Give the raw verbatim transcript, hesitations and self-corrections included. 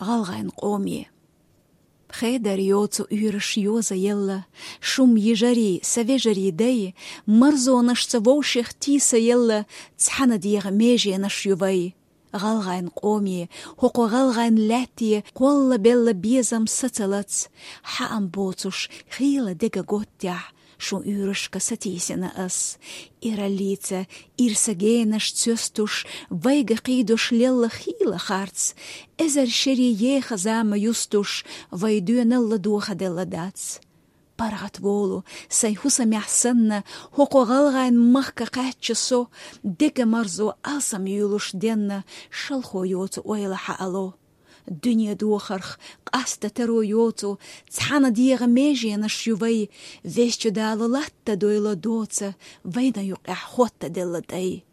ГӀалгӀайн къоме. Хедар йоцу уьйраш йоза елла, шум йижарий, са вежарий дай, марзонашца вовшех тийса елла, цхьана дегӀа меженаш ю вай. ГӀалгӀайн къоме, хӀокху гӀалгӀайн лаьтте кхолла белла безам сацалац, хьаам боцуш, хийла дега готтехь, шун уьйрашка сатийсина ас. Ираллица ирса генаш цоьстуш, вайга кхийдош лелла хийла харц, эзар шерий еха зама юстуш, вай доьналла дохаделла дац. ПаргӀат волу, сайн хӀусамехь санна, хӀокху гӀалгӀайн махка кхаьчча со, дега марзо алсам юьйлуш денна, шалхо йоцу ойла хьаало. Дуьне дохарх къаста таро йоцу, цхьана дегӀа меженаш ю вай, Везачу Дала латта дойла доца, вайна юкъехь хоттаделла тӀай.